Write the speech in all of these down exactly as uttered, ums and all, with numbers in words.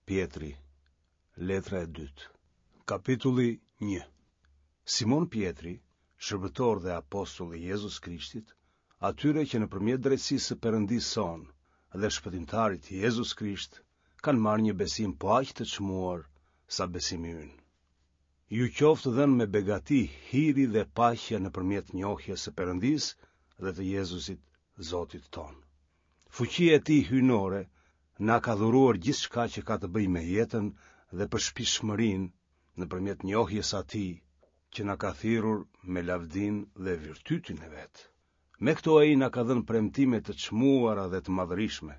Pjetri, letra e dytë. Kapitulli një. Simon Pjetri, shërbëtor dhe apostull i Jezus Krishtit, atyre që nëpërmjet drejtësisë së Perëndisë sonë dhe Shpëtimtarit Jezus Krisht kanë marrë një besim po aq të çmuar sa besimi ynë. Ju qoftë dhënë me begati hiri dhe paqja nëpërmjet njohjes së Perëndisë dhe të Jezusit, Zotit tonë. Fuqia e tij hyjnore na ka dhuruar gjithçka që ka të bëjë me jetën dhe përshpirtshmërinë nëpërmjet njohjes së atij që na ka thirrur me lavdinë dhe virtytin e vet. Me këto ai na ka dhënë premtime të çmuara dhe të madhërishme,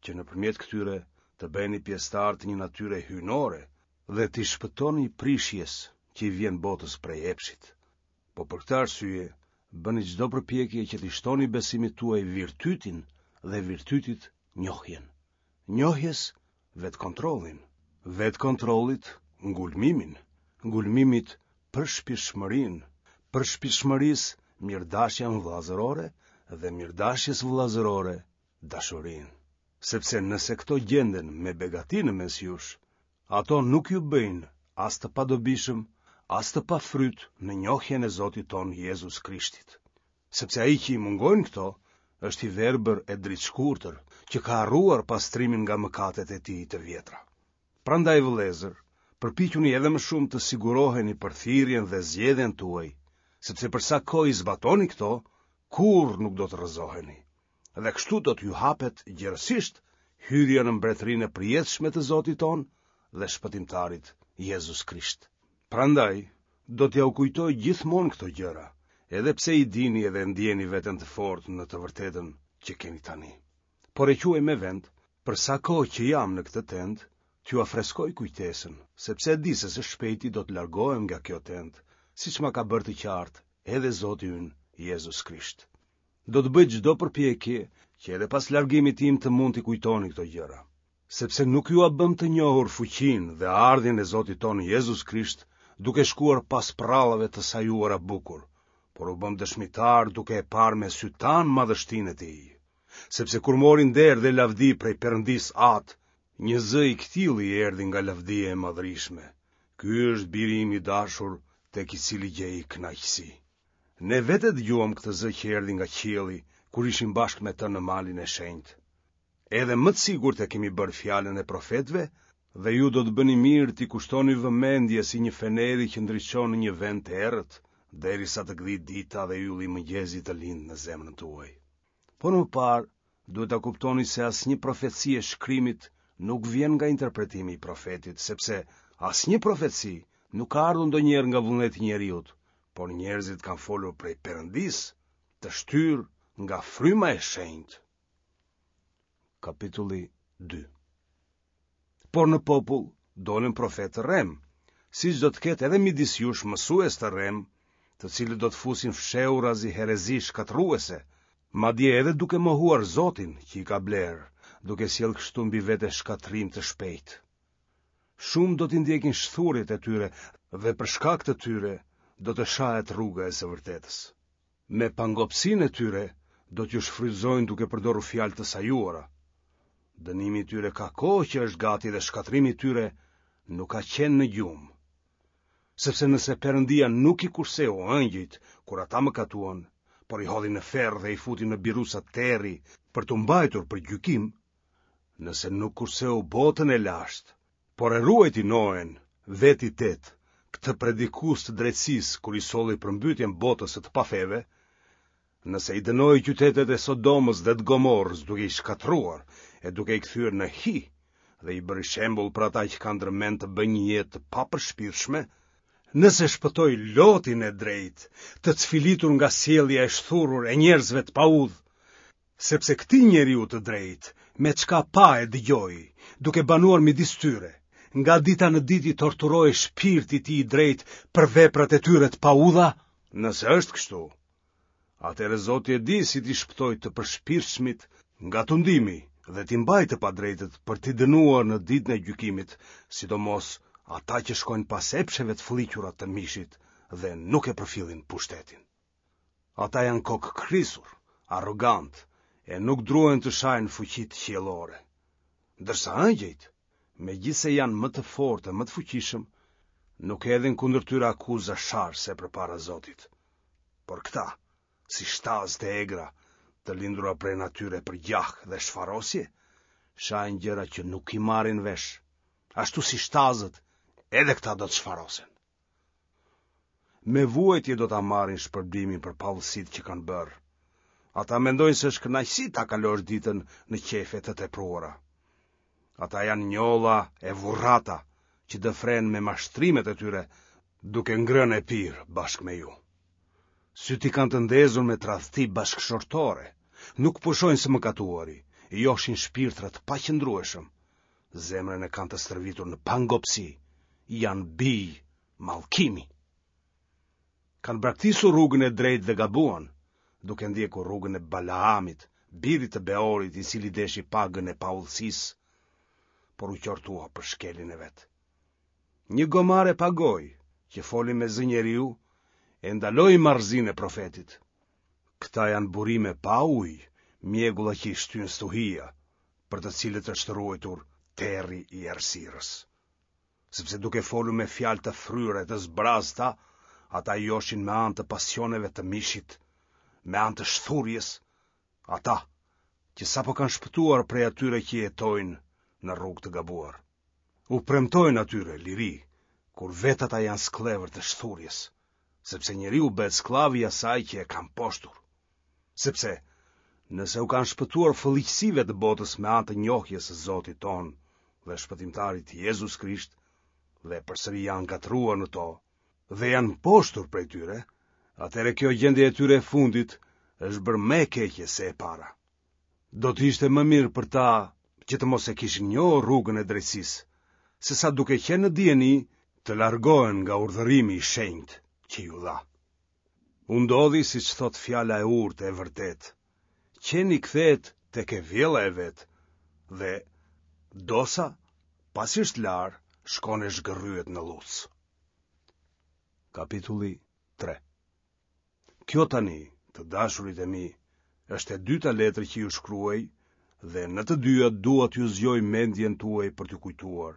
që nëpërmjet këtyre të bëheni pjesëtarë të një natyre hyjnore dhe t'i shpëtoni prishjes që i vjen botës prej epshit. Po për këtë arsye, bëni çdo përpjekje që t'i shtoni besimit tuaj virtytin dhe virtytit njohjen. Njohjes vetëkontrollin, vetëkontrollit ngulmimin, ngulmimit përshpirtshmërinë, përshpirtshmërisë mirëdashjen vëllazërore dhe mirëdashjes vëllazërore dashurinë. Sepse nëse këto gjenden me begati në mes jush, ato nuk ju bëjnë as të padobishëm, as të pafryt në njohjen e Zotit tonë Jezus Krishtit. Sepse ai që i mungojnë këto, është i verbër e dritëshkurtër, që ka harruar pastrimin nga mëkatet e tij të vjetra. Prandaj vëllezër, përpiquni edhe më shumë të siguroheni për thirrjen dhe zgjedhjen tuaj, sepse për sa kohë i zbatoni këto, kurrë nuk do të rrëzoheni. Dhe kështu do t'ju hapet gjerësisht hyrja në mbretërinë e përjetshme të Zotit tonë dhe Shpëtimtarit Jezus Krisht. Prandaj, do t'jua kujtoj gjithmonë këto gjëra, edhe pse i dini edhe ndjeni veten të fortë në të vërtetën që keni tani. Por e quaj me vend, për sa kohë që jam në këtë tendë, t'jua freskoj kujtesën, sepse e di se së shpejti do të largohem nga kjo tendë, siç ma ka bërë të qartë edhe Zoti ynë Jezus Krisht. Do të bëj çdo përpjekje që edhe pas largimit tim të mund t'i kujtoni këto gjëra, sepse nuk jua bëmë të njohur fuqinë dhe ardhjen e Zotit tonë Jezus Krisht duke shkuar pas përrallave të sajuara bukur, por u bëmë dëshmitarë duke e parë me sytë tanë madhështinë e tij. Sepse kur mori nder dhe lavdi prej Perëndisë Atë, një zë i këtillë i erdhi nga lavdia e madhërishme. Ky është biri im i dashur, tek i cili gjej kënaqësi. Ne vetë e dëgjuam këtë zë që erdhi nga qielli, kur ishim bashkë me të në malin e shenjtë. Edhe më të sigurt e kemi bërë fjalën e profetëve, dhe ju do të bëni mirë t'i kushtoni vëmendje si një feneri që ndriçon në një vend të errët, derisa të gdhijë dita dhe ylli i mëngjesit të lindë në zemrën tuaj. Por më parë, duhet ta kuptoni se asnjë profeci e shkrimit nuk vjen nga interpretimi i profetit, sepse asnjë profeci nuk ka ardhur ndonjëherë nga vullneti i njeriut, por njerëzit kanë folur prej Perëndisë, të shtyrë nga fryma e shenjtë. Kapitulli dy. Por në popull dolën profetë të rremë, siç do të ketë edhe midis jush mësues të rremë, të cilët do të fusin fshehurazi herezi shkatërruese, madje edhe duke mohuar Zotin që i ka blerë, duke sjellë kështu mbi vete shkatërrim të shpejtë. Shumë do t'i ndjekin shthurjet e tyre dhe për shkak të tyre do të shahet rruga e së vërtetës. Me pangopësinë e tyre do t'ju shfrytëzojnë duke përdorur fjalë të sajuara. Dënimi i tyre ka kohë që është gati dhe shkatërrimi i tyre nuk ka qenë në gjumë. Sepse nëse Perëndia nuk i kurseu engjëjt kur ata mëkatuan, por i hodhi në ferr dhe i futi në biruca terri për t'u mbajtur për gjykim, nëse nuk kurseu botën e lashtë, por e ruajti Noen, vetë i tetë, këtë predikues të drejtësisë kur i solli përmbytjen botës së të pafeve, nëse i dënoi qytetet e Sodomës dhe të Gomorrës duke i shkatërruar e duke i kthyer në hi dhe i bëri shembull për ata që kanë ndërmend të bëjnë një jetë të papërshpirtshme, nëse shpëtoi Lotin e drejtë, të cfilitur nga sjellja e shthurur e njerëzve të paudhë, sepse këtij njeriu të drejtë, me çka pa e dëgjoi, duke banuar midis tyre, nga dita në ditë i torturohej shpirti i tij i drejtë për veprat e tyre të paudha, nëse është kështu, atëherë Zoti e di si t'i shpëtojë të përshpirtshmit nga tundimi dhe t'i mbajë të padrejtët për t'i dënuar në ditën e gjykimit, sidomos ata që shkojnë pas epsheve të fëlliqura të mishit dhe nuk e përfillin pushtetin. Ata janë kokëkrisur, arrogantë, e nuk druhen të shajnë fuqitë qiellore. Ndërsa engjëjt, megjithëse janë më të fortë e më të fuqishëm, nuk hedhin kundër tyre akuza sharëse përpara Zotit. Por këta, si shtazë të egra, të lindura prej natyre për gjah dhe shfarosje, shajnë gjëra që nuk i marrin vesh. Ashtu si shtazët, edhe këta do të shfarosen. Me vuajtje do ta marrin shpërblimin për paudhësitë që kanë bërë. Ata mendojnë se është kënaqësi ta kalosh ditën në qejfe të tepruara. Ata janë njolla e vurrata që dëfrejnë me mashtrimet e tyre, duke ngrënë e pirë bashkë me ju. Sytë i kanë të ndezur me tradhti bashkëshortore, nuk pushojnë së mëkatuari, joshin shpirtra të paqëndrueshëm, zemrën e kanë të stërvitur në pangopësi, janë bij mallkimi. Kanë braktisur rrugën e drejtë dhe gabuan, duke ndjekur rrugën e Balaamit, birit të Beorit, i cili deshi pagën e paudhësisë, por u qortua për shkeljen e vet. Një gomare pa gojë, që foli me zë njeriu, e ndaloi marrëzinë e profetit. Këta janë burime pa ujë, mjegulla që i shtyn stuhia, për të cilët është ruajtur terri i errësirës. Sepse duke folur me fjalë të fryra e të zbrazëta, ata joshin me anë të pasioneve të mishit, me anë të shthurjes, ata që sapo kanë shpëtuar prej atyre që jetojnë në rrugë të gabuar. U premtojnë atyre liri, kur vetë ata janë skllevër të shthurjes, sepse njeriu bëhet skllav i asaj që e ka mposhtur. Sepse, nëse u kanë shpëtuar fëlliqësive të botës me anë të njohjes së Zotit tonë dhe Shpëtimtarit Jezus Krisht, dhe përsëri janë ngatërruar në to, dhe janë mposhtur prej tyre, atëherë kjo gjendje e tyre e fundit është bërë më e keqe se e para. Do të ishte më mirë për ta që të mos e kishin njohur rrugën e drejtësisë, sesa duke qenë në dijeni të largohen nga urdhërimi i shenjtë që iu dha. U ndodhi siç thotë fjala e urtë e vërtetë, qeni kthehet tek e vjella e vet dhe dosa, pasi është larë, shkon e zhgërryhet në llucë. Kapitulli tre. Kjo tani, të dashurit e mi, është e dyta letër që ju shkruaj dhe në të dyja dua t'ju zgjoj mendjen tuaj për t'ju kujtuar,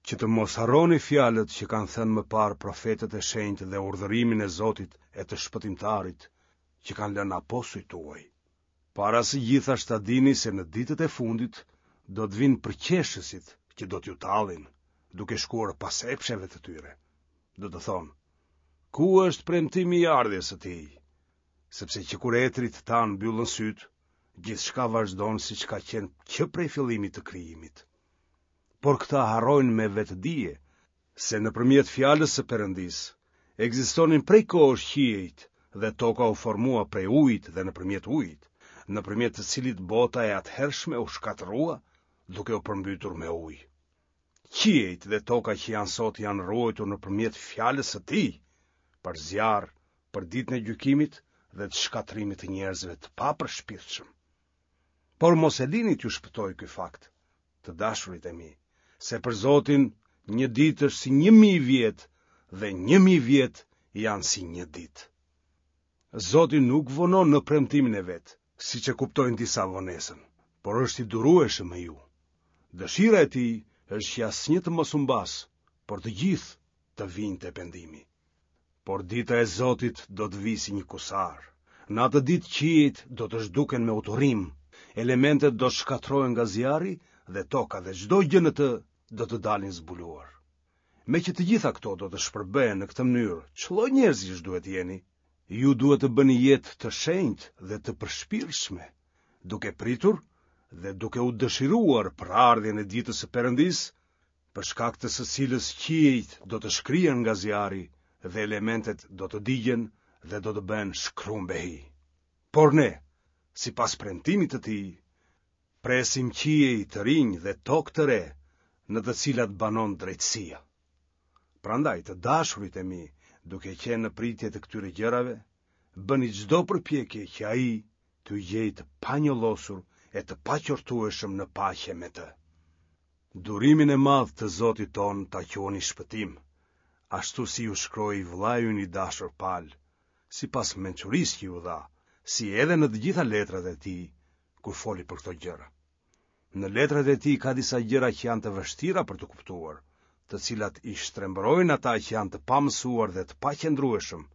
që të mos harroni fjalët që kanë thënë më parë profetët e shenjtë dhe urdhërimin e Zotit e të Shpëtimtarit që kanë lënë apostujt tuaj. Para së gjithash ta dini se në ditët e fundit do të vinë përqeshësit që do t'ju tallin, duke shkuar pas epsheve të tyre. Do të thonë, ku është premtimi i ardhjes së tij? Sepse që kur etërit tanë mbyllën sytë, gjithçka vazhdon siç ka qenë që prej fillimit të krijimit. Por këta harrojnë me vetëdije se nëpërmjet fjalës së Perëndisë ekzistonin prej kohësh qiejt dhe toka u formua prej ujit dhe nëpërmjet ujit, nëpërmjet të cilit bota e atëhershme u shkatërrua duke u përmbytur me ujë. Qiejt dhe toka që janë sot janë ruajtur nëpërmjet fjalës së tij, për zjarr, për ditën e gjykimit dhe të shkatërrimit të njerëzve të papërshpirtshëm. Por mos e lini t'ju shpëtojë ky fakt, të dashurit e mi, se për Zotin një ditë është si një mijë vjet dhe një mijë vjet janë si një ditë. Zoti nuk vonon në premtimin e vet, siç e kuptojnë disa vonesën, por është i durueshëm me ju. Dëshira e tij është që asnjë të mos humbasë, por të gjithë të vijnë te pendimi. Por dita e Zotit do të vijë si një kusar. Në atë ditë qiejt do të zhduken me uturim, elementet do të shkatërrohen nga zjarri dhe toka dhe çdo gjë në të do të dalin zbuluar. Meqë të gjitha këto do të shpërbëhen në këtë mënyrë, ç'lloj njerëzish duhet të jeni? Ju duhet të bëni jetë të shenjtë dhe të përshpirtshme, duke pritur dhe duke u dëshiruar për ardhjen e ditës së Perëndisë, për shkak të së cilës qiejt do të shkrihen nga zjarri dhe elementet do të digjen dhe do të bëhen shkrumb e hi. Por ne, sipas premtimit të tij, presim qiej të rinj dhe tokë të re, në të cilat banon drejtësia. Prandaj, të dashurit e mi, duke qenë në pritje të këtyre gjërave, bëni çdo përpjekje që ai t'ju gjejë të panjollosur e të paqortueshëm në paqe me të. Durimin e madh të Zotit tonë ta quani shpëtim, ashtu si ju shkroi vëllai ynë i dashur Pal, sipas mençurisë që ju dha, si edhe në të gjitha letrat e tij, kur foli për këto gjëra. Në letrat e tij ka disa gjëra që janë të vështira për t'u kuptuar, të cilat i shtrembërojnë ata që janë të pamësuar dhe të paqëndrueshëm,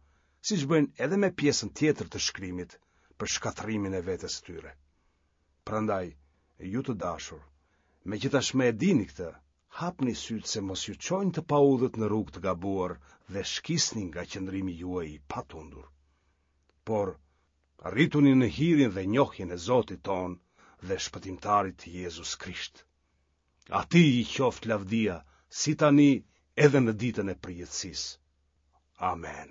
siç bëjnë edhe me pjesën tjetër të shkrimit për shkatërrimin e vetes së tyre. Prandaj, ju të dashur, meqë tashmë e dini këtë, hapni sytë se mos ju çojnë të paudhët në rrugë të gabuar dhe shkisni nga qëndrimi juaj i patundur. Por, rrituni në hirin dhe njohjen e Zotit tonë dhe Shpëtimtarit Jezus Krisht. Atij i qoftë lavdia, si tani edhe në ditën e përjetësisë. Amen.